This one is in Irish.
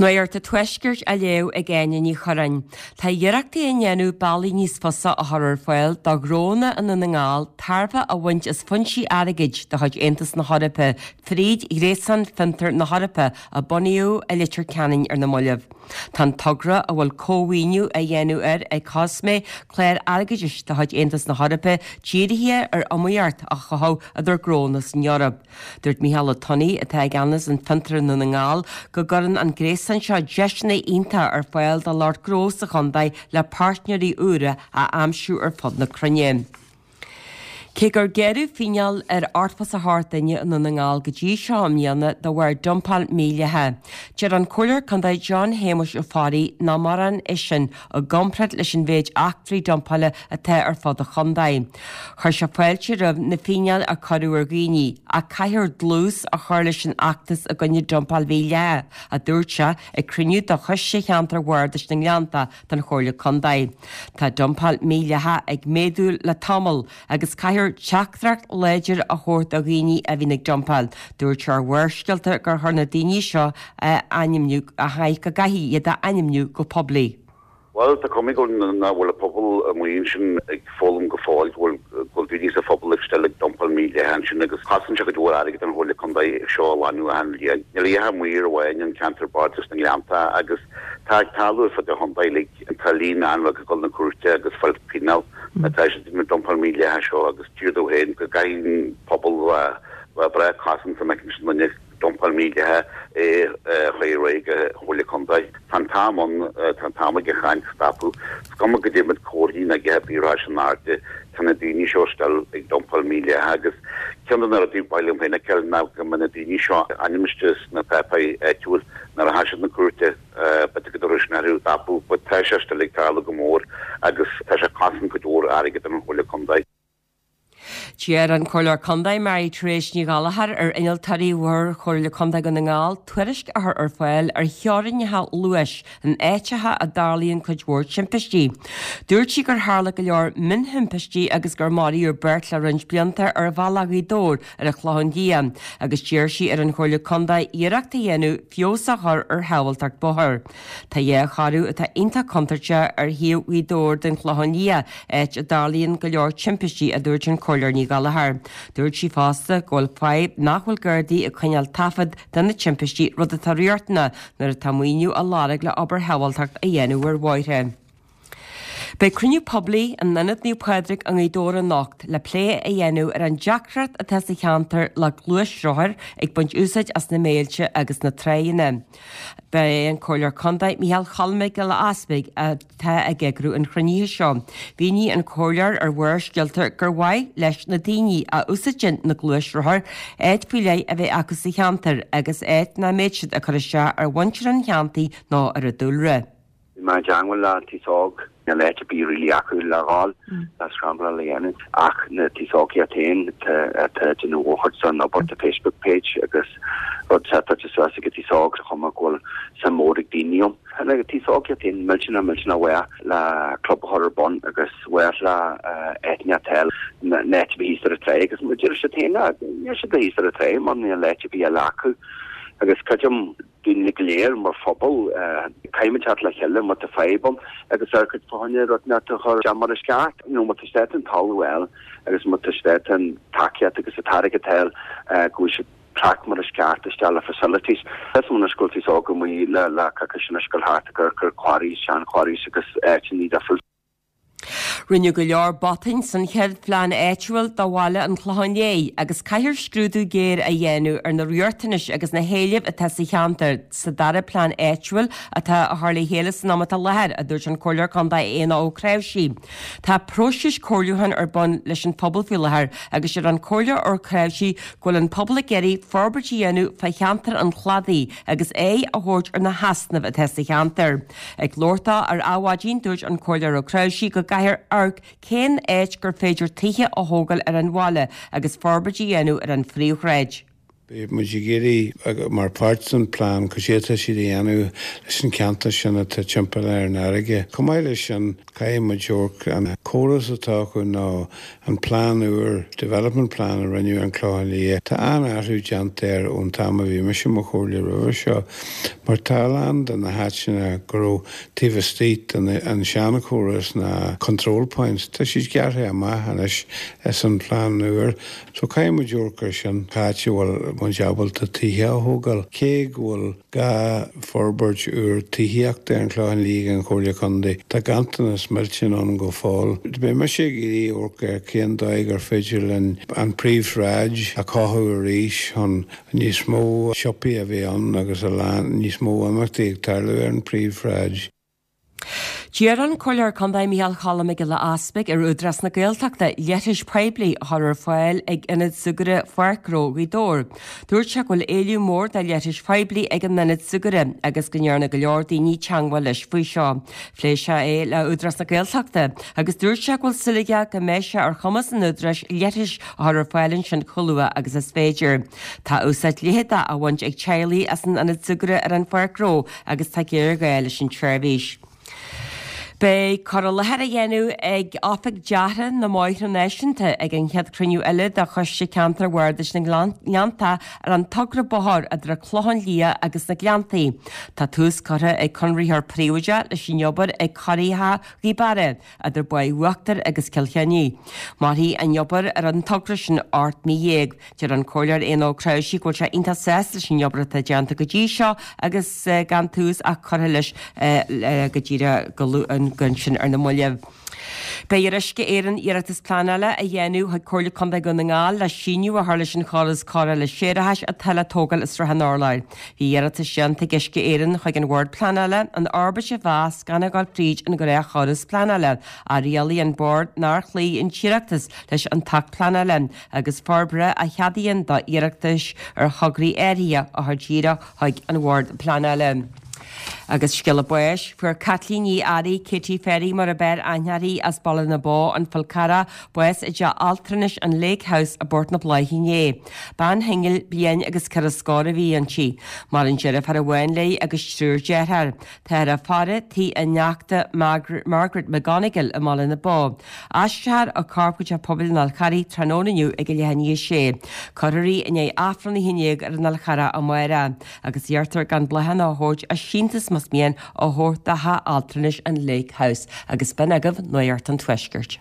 Nuacht an Tuaiscirt á léamh ag Áine Ní Churráin. Tá iarrachtaí á ndéanamh bealaí níos fusa a chur ar fáil do ghnónna i nDún na nGall tairbhe a bhaint as foinsí airgid de chuid Aontas na hEorpa fríd Ghréasán Fiontar na hEorpa a bunaíodh i Leitir Ceanainn ar na mallaibh. Tá an togra, a bhfuil cómhaoiniú á dhéanamh air ag Cosme, clár airgeadais de chuid Aontas na hEorpa, dírithe ar iomaíocht a chothú idir gnónna san Eoraip. Dúirt Mícheál Ó Tonnaigh, atá i gceannas an Fiontar i nDún na nGall, go gcuireann an gréasán seo deiseanna iontacha ar fáil do lucht gnó sa chontae le páirtnéirí úra a aimsiú ar fud na cruinne. Cé gur gearradh fíneáil ar 88 duine i Ndún na nGall go dtí seo i mbliana de bharr dumpáil mhídhleathach, deir an Comhairleoir Contae John Shéamuis Ó Fearraigh nach mórán é sin i gcomparáid leis an mhéid eachtraí dumpála atá ar fud an chontae. Chuir sé fáilte roimh na fíneáil a cuireadh ar dhaoine, ach caithfear dlús a chur leis an fheachtas i gcoinne dumpáil mhídhleathach, a dúirt sé ag cruinniú de Choiste Cheantar Bhardais na nGleanntach den Chomhairle Contae. Tá dumpáil mhídhleathach ag méadú le tamall agus caithfear teachtaireacht láidir a thabhairt do dhaoine a bhíonn ag dumpáil. Dúirt sé ar Bharrscéalta gur chóir na daoine seo a ainmniú, go gcaithfí iad a ainmniú go poiblí. Bhuel, tá cuma go nach bhfuil an pobal amuigh ansin ag foghlaim go fóill go bhfuil go bhfuil daoine sa phobal ag still ag dumpáil mídhleathach ansin agus cosann sé cuid mhór airgid don Chomhairle Contae seo a ghlanadh achan bhliain. Níl a dhath amuigh ar amháin an ceantar Bardais na nGleannta agus tá ag tarlú ar fud an chontae uilig. Tá líon an-bheag ag dul na cúirte agus fáil pionóis má tá siad ag dumpáil mídhleathach seo agus deir tú féin go gcaithfidh an pobal bheith breá cosanta má fheiceann siad duine dumpáil mídhleathach é a chur ar aghaidh go Chomhairle Contae. Tá an t-am ann, tá an t-am ag an chaint stopadh. Is cuma goidé iad comharthaí ná goidé bíodh ar in airde, tá na daoine seo still ag dumpáil mídhleathach agus ceann de na rudaí ba mhaith liom féin a fheiceáil ná go mbeadh na daoine seo ainmnithe sna páipéirí áitiúil nuair a tha siad na cúirte b'fhéidir go dtabharfadh sin orthu stopadh but tá sé still ag tarlú go mór agus tá sé ag cosaint cuid mhór airgid don Chomhairle Contae. D'iarr an Comhairleoir Contae Mary Therese Ní Ghallchóir ar Innealtóirí Bhord Chomhairle Contae Dhún na nGall tuairisc a chur ar fáil ar theorainneacha luais in áiteacha a dtarlaíonn cuid mhór timpistí. Dúirt sí gur tharla go leor mionthimpistí agus gur maraíodh beirt le roinnt blianta ar bhealach Ghaoth Dobhair ar an Chlochán Liath agus d'iarr sí ar an Chomhairle Contae iarracht a dhéanamh feabhas a chur ar shábháilteacht bóthair. Tá dhá chorradh atá iontach contúirteach ar thaobh Ghaoth Dobhair den Chlochán Liath, áit a dtarlaíonn go leor timpistí, a dúirt an Comhairleoir Ní Ghallchóir. Dúirt sí fosta go bhfuil fadhb nach bhfuil Gardaí ag coinneáil taifead de na timpistí, rud atá riachtanach nuair atá maoiniú á lorg le obair shábháilteacht a dhéanamh ar bhóithre. Beidh cruinniú poiblí in Ionad Naomh Pádraig i nGaoth Dobhair anocht le plé a dhéanamh ar an deacracht atá sa cheantar le gluaisrothair ag baint úsáid as na méilte agus na tráigheanna. Ba é an Comhairleoir Contae Micheál Choilm Mac Giolla Easpaig atá ag eagrú an chruinnithe seo. Mhínigh an Comhairleoir ar Bharrscéalta gur mhaith leis na daoine a úsáideann na gluaisrothair áit faoi leith a bheith acu sa cheantar agus áit nach mbeidh siad ag cur isteach ar mhuintir an cheantair nó ar an dúlra. Bhí mé i dteangmháil le an t-aos óg, níl áit ar bith really acu le dhul le scrambláil a dhéanamh ach na t-aos óg iad féin atá ag déanamh mórchuid den obair tá Facebook page agus rud setáilte suas ag an t-aos óg sa chuma go bhfuil suim mór ag daoine ann. Tá na t-aos óg iad féin millteanach millteanach mhaith le club a chur ar bun agus mhaith le áiteanna atá na áit a bhí thíos ar an tráigh agus deir siad féin níl siad thíos ar an tráigh mar níl áit ar bith eile acu agus creidim daoine go léir mar phobal, caithfimid teacht le chéile má tá fadhb ann agus ar cuid fá choinne rud inteacht a chur isteach mar is ceart. You know, má tá siad ábalta an talamh a fháil agus má tá siad ábalta an tacaíocht agus an t-airgead a fháil go bhfuil siad track mar is ceart isteach le facilities. Is mó na scoiltaí seo go mbuí le le coicís anois ag dul thart ag amharc ar quarries, sean quarries agus áiteanna difriúil. Rinneadh go leor botúin san chéad phlean áitiúil do bhaile an Chlocháin Léith agus caithfear scrúdú géar a dhéanamh ar na riachtanais agus na héilimh atá sa cheantar sa dara plean áitiúil atá á chur le chéile san am atá i láthair, a dúirt an Comhairleoir Contae Éanna Ó Cnáimhsí. Tá próiseas comhairliúcháin ar bun leis an phobal faoi láthair agus deir an Comhairleoir Ó Cnáimhsí go bhfuil an pobal ag iarraidh forbairt a dhéanamh fá cheantar an Chladaigh agus aghaidh a thabhairt ar na heasnaimh atá sa cheantar. Ag labhairt dó ar Adhmhaidin, dúirt an Comhairleoir Ó Cnáimhsí go gcaithfear amharc cén áit gur féidir tithe a thógáil ar an bhaile agus forbairt a dhéanamh ar an phríomhshráid. Beidh muid ag iarraidh, mar pháirt den plean, cad é atá siad a dhéanamh leis an ceantar sin atá timpeall ar an fharraige. Chomh maith leis sin, caithfidh muid amharc an córas atá acu nó an plean úr, development plan a rinneadh ar an Clochán Liath. Tá an-athrú déanta air ón t-am a bhí mise i mo chomhairleoir roimhe seo, mar tá a lán de na háiteanna go raibh taobh istigh den an seanchóras na control points, tá siad gearrtha amach anois san phlean úr. So caithfidh muid amharc ar sin, cá háit a bhfuil muid ábalta tithe a thógáil. Cé go bhfuil gá forbairt úr tithíochta ar an Chlochán Liath ag an Chomhairle Contae, tá ganntanas millteanach ann go fóill. Beidh mise ag iarraidh amharc ar cén dóigh gur féidir linn an príomhshráid a chothú arís chun níos mó siopaí a bheith ann agus a lán níos mó imeachtaí ag tarlú ar an príomhshráid. D'iarr an Comhairleoir Contae Micheál Choilm Mac Giolla Easpaig ar Údarás na Gaeltachta leithris poiblí a chur ar fáil ag Ionad Súgartha Pháirc Ghnó Ghaoth Dobhair. Dúirt sé go bhfuil éileamh mór do leithris phoiblí ag an ionad súgartha agus go ndearna go leor daoine teagmháil leis faoi seo. Phléigh sé é le Údarás na Gaeltachta agus dúirt sé go bhfuil súil aige go mbeidh sé ar chumas an Údaráis leithris a chur ar fáil ansin chomh luath agus is féidir. Tá úsáid leitheadach á bhaint ag teaghlaigh as an ionad súgartha ar an Pháirc Ghnó agus tá géarghá leis an tseirbhís. Beidh cur i láthair á dhéanamh ag Oifig Deartha na mBóithre Náisiúnta ag an chéad chruinniú eile de Choiste Ceantair Bhardais na nGleanntach ar an togra bóthair idir an Clochán Liath agus na Gleanntaí. Tá tús curtha ag conraitheoir príobháideach leis an obair ag Corraitheach Ghaoth Beara idir Baile Uachtair agus Cill Chainnigh. Mairfidh an obair ar an togra sin 18 mí. Deir an Comhairleoir Éanna Ó Cnáimhsí go bhfuil sé iontach sásta leis an obair atá déanta go dtí seo agus gan tús ach curtha leis go díreach go ansin ar na mallaibh. Beidh ar Uisce Éireann iarratas pleanála a dhéanamh chuig Comhairle Contae Dhún na nGall le síneadh a chur leis an chóras cóireála séarachais atá le tógáil i Srath an Urláir. Bhí iarratas déanta ag Uisce Éireann chuig an Bhord Pleanála an fhorbairt a mheas gan a dhul fríd an ghnáthchóras pleanála ach rialaigh an Bord nár chloígh an t-iarratas leis an tAcht Pleanála agus Forbartha a cheadaíonn do iarratais ar thograí áirithe a chur díreach chuig an Bhord Pleanála. Agus scéala báis, fuair Caitlín Ní Fhearraigh, Katie Ferry mar ab fhearr aithne uirthi, as Baile na Bó, An Fál Carrach, bás i dteach altranais an Lake House i bPort na Bláiche inné. Bean shingil bliain agus ceithre scór a bhí inti. Maireann deirfiúr amháin léi agus triúr dearthár. Táthar á faire tigh a neachta Margaret McGonigle i mBaile na Bó. Aistreofar a corp go Teach Pobail an Fháil Charraigh tráthnóna inniu ag a leath i ndiaidh a sé. Cuirfear í i ndiaidh Aifreann 11 ar an Fhál Charrach amárach agus iarrtar gan bláthanna a thabhairt ach síntiús más mian a thabhairt do theach altranais an Lake House agus b'in agaibh Nuacht an Tuaiscirt.